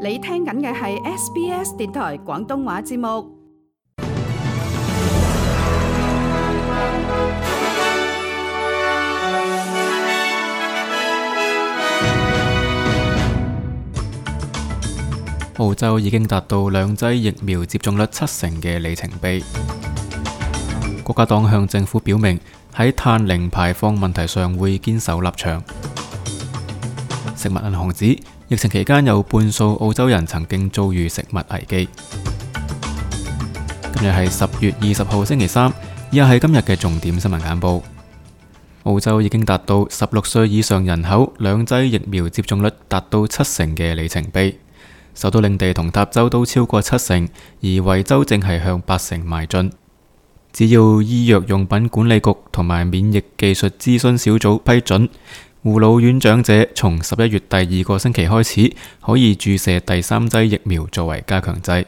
你聽緊嘅係 SBS 電台廣東話節目。澳洲已經達到兩劑疫苗接種率70%嘅里程碑。國家黨向政府表明喺碳零排放問題上會堅守立場。食物銀行指疫情期間有半數澳洲人曾經遭遇食物危機。今日係10月20號星期三，以下係今日嘅重點新聞簡報。澳洲已經達到16歲以上人口兩劑疫苗接種率達到70%嘅里程碑。首都領地同塔州都超過70%，而維州正係向80%邁進。只要醫藥用品管理局同埋免疫技術諮詢小組批准，護老院長者從11月第2個星期開始可以注射第3劑疫苗作為加強劑。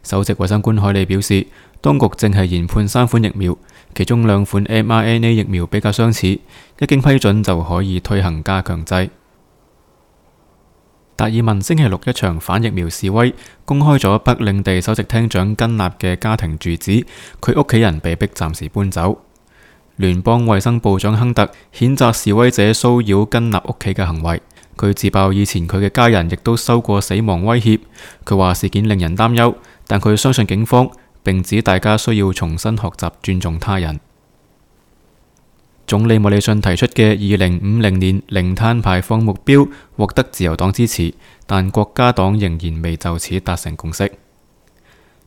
首席衛生官海利表示，當局正係研判3款疫苗，其中2款 mRNA 疫苗比較相似，一經批准就可以推行加強劑。達爾文星期六一場反疫苗示威，公開咗北領地首席廳長根納嘅家庭住址，佢屋企人被迫暫時搬走。聯邦衛生部長亨特譴責示威者騷擾根納屋企嘅行為，佢自爆以前佢嘅家人亦都收過死亡威脅。佢話事件令人擔憂，但佢相信警方，並指大家需要重新學習尊重他人。總理莫里遜提出嘅2050年零碳排放目標獲得自由黨支持，但國家黨仍然未就此達成共識。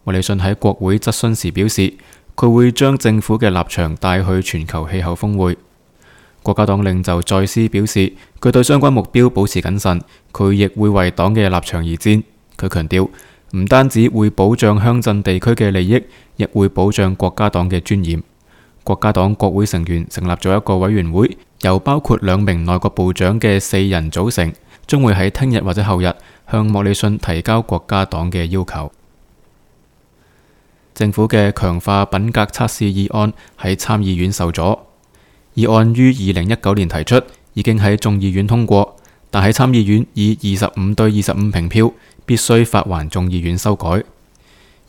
莫里遜喺國會質詢時表示，佢會將政府嘅立場帶去全球氣候峰會。國家黨領袖再斯表示，佢對相關目標保持謹慎，佢亦會為黨嘅立場而戰。佢強調，唔單止會保障鄉鎮地區嘅利益，亦會保障國家黨嘅尊嚴。國家黨國會成員成立咗一個委員會，由包括2名內閣部長嘅4人組成，將會喺聽日或者後日向莫里遜提交國家黨嘅要求。政府嘅強化品格測試議案喺參議院受阻。議案於2019年提出，已經喺眾議院通過，但喺參議院以25對25平票，必須發還眾議院修改。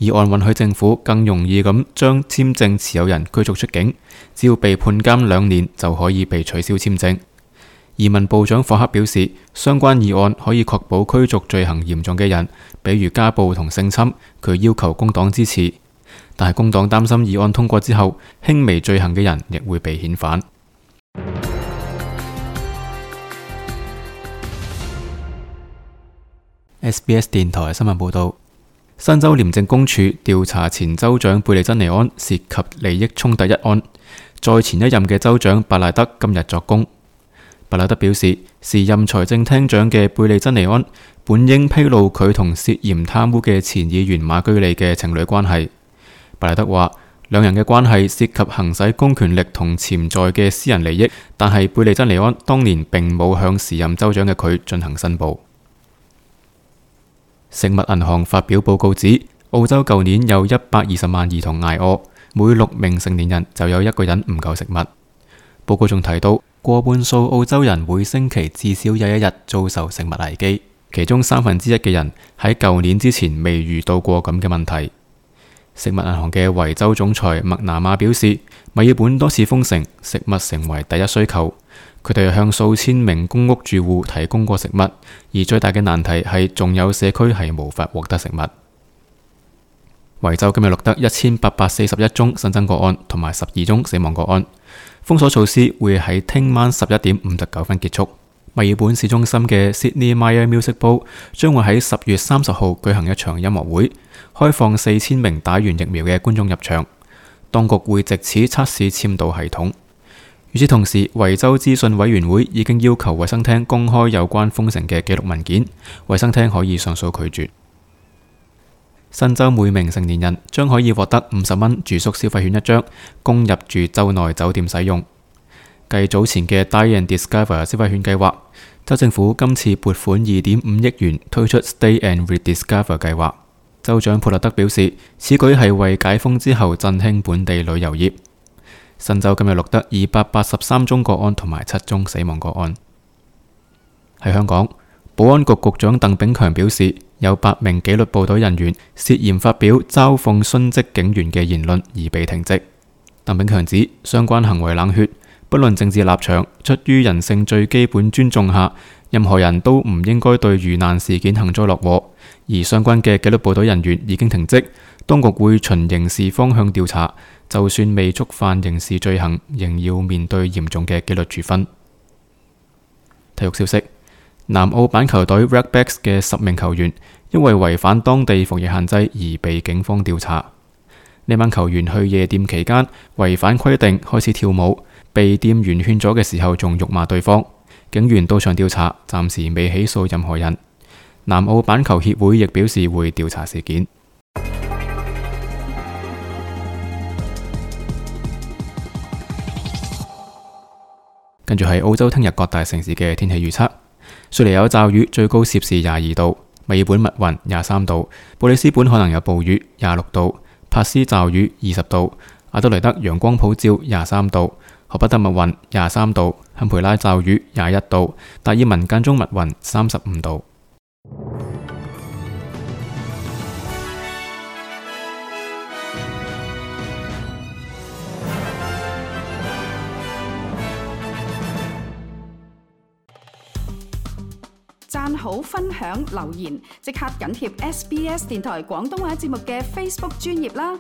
議案允許政府更容易咁將簽證持有人驅逐出境，只要被判監2年就可以被取消簽證。移民部長霍克表示，相關議案可以確保驅逐罪行嚴重嘅人，比如家暴同性侵。佢要求工黨支持，但係工黨擔心議案通過之後，輕微罪行嘅人亦會被遣返。SBS 電台新聞報道。新州廉政公署調查前州長貝利珍尼安涉及利益衝突一案，在前一任嘅州長伯賴德今日作供。伯賴德表示，時任財政廳長嘅貝利珍尼安本應披露佢同涉嫌貪污嘅前議員馬居利嘅情侶關係。伯賴德話，兩人嘅關係涉及行使公權力同潛在嘅私人利益，但係貝利珍尼安當年並冇向時任州長嘅佢進行申報。食物銀行發表報告指，澳洲舊年有120萬兒童挨餓，每6名成年人就有1個人唔夠食物。報告仲提到，過半數澳洲人每星期至少有1日遭受食物危機，其中1/3嘅人喺舊年之前未遇到過咁嘅問題。食物銀行嘅維州總裁麥拿馬表示，墨爾本多次封城，食物成為第一需求。佢哋向數千名公屋住戶提供過食物，而最大嘅難題係仲有社區係無法獲得食物。維州今日錄得1841宗新增個案同埋12宗死亡個案。封鎖措施會喺聽晚11點59分結束。墨爾本市中心嘅 Sydney Myer Music Bowl 將會喺10月30號舉行一場音樂會，開放4000名打完疫苗嘅觀眾入場。當局會藉此測試簽到系統。與此同時，維州資訊委員會已經要求衛生廳公開有關封城嘅記錄文件，衛生廳可以上訴拒絕。新州每名成年人將可以獲得50蚊住宿消費券1張，供入住州內酒店使用。繼早前嘅 Die and Discover 消費券計劃，州政府今次撥款2.5億元推出 Stay and Rediscover 計劃。州長普勒德表示，此舉係為解封之後振興本地旅遊業。新州今日錄得283宗個案同埋7宗死亡個案。喺香港，保安局局長鄧炳強表示，有8名紀律部隊人員涉嫌發表嘲諷殉職警員嘅言論而被停職。鄧炳強指，相關行為冷血，不論政治立場，出於人性最基本尊重下，任何人都唔應該對遇難事件幸災樂禍。而相關嘅紀律部隊人員已經停職，當局會循刑事方向調查，就算未觸犯刑事罪行，仍要面對嚴重嘅紀律處分。體育消息：南澳板球隊 Redbacks 嘅10名球員因為違反當地防疫限制而被警方調查。呢班球員去夜店期間違反規定開始跳舞，被店員勸咗嘅時候仲辱罵對方。警員到場調查，暫時未起訴任何人。南澳板球協會亦表示會調查事件。跟住係澳洲聽日各大城市嘅天氣預測：雪梨有驟雨，最高攝氏22度；墨爾本密雲23度；布里斯本可能有暴雨26度；珀斯驟雨20度；阿德雷德陽光普照23度；荷伯特密雲23度；堪培拉驟雨21度；達爾文間中密雲35度。讚好、分享、留言，即刻緊貼SBS 電台廣東話節目嘅 Facebook 專頁啦！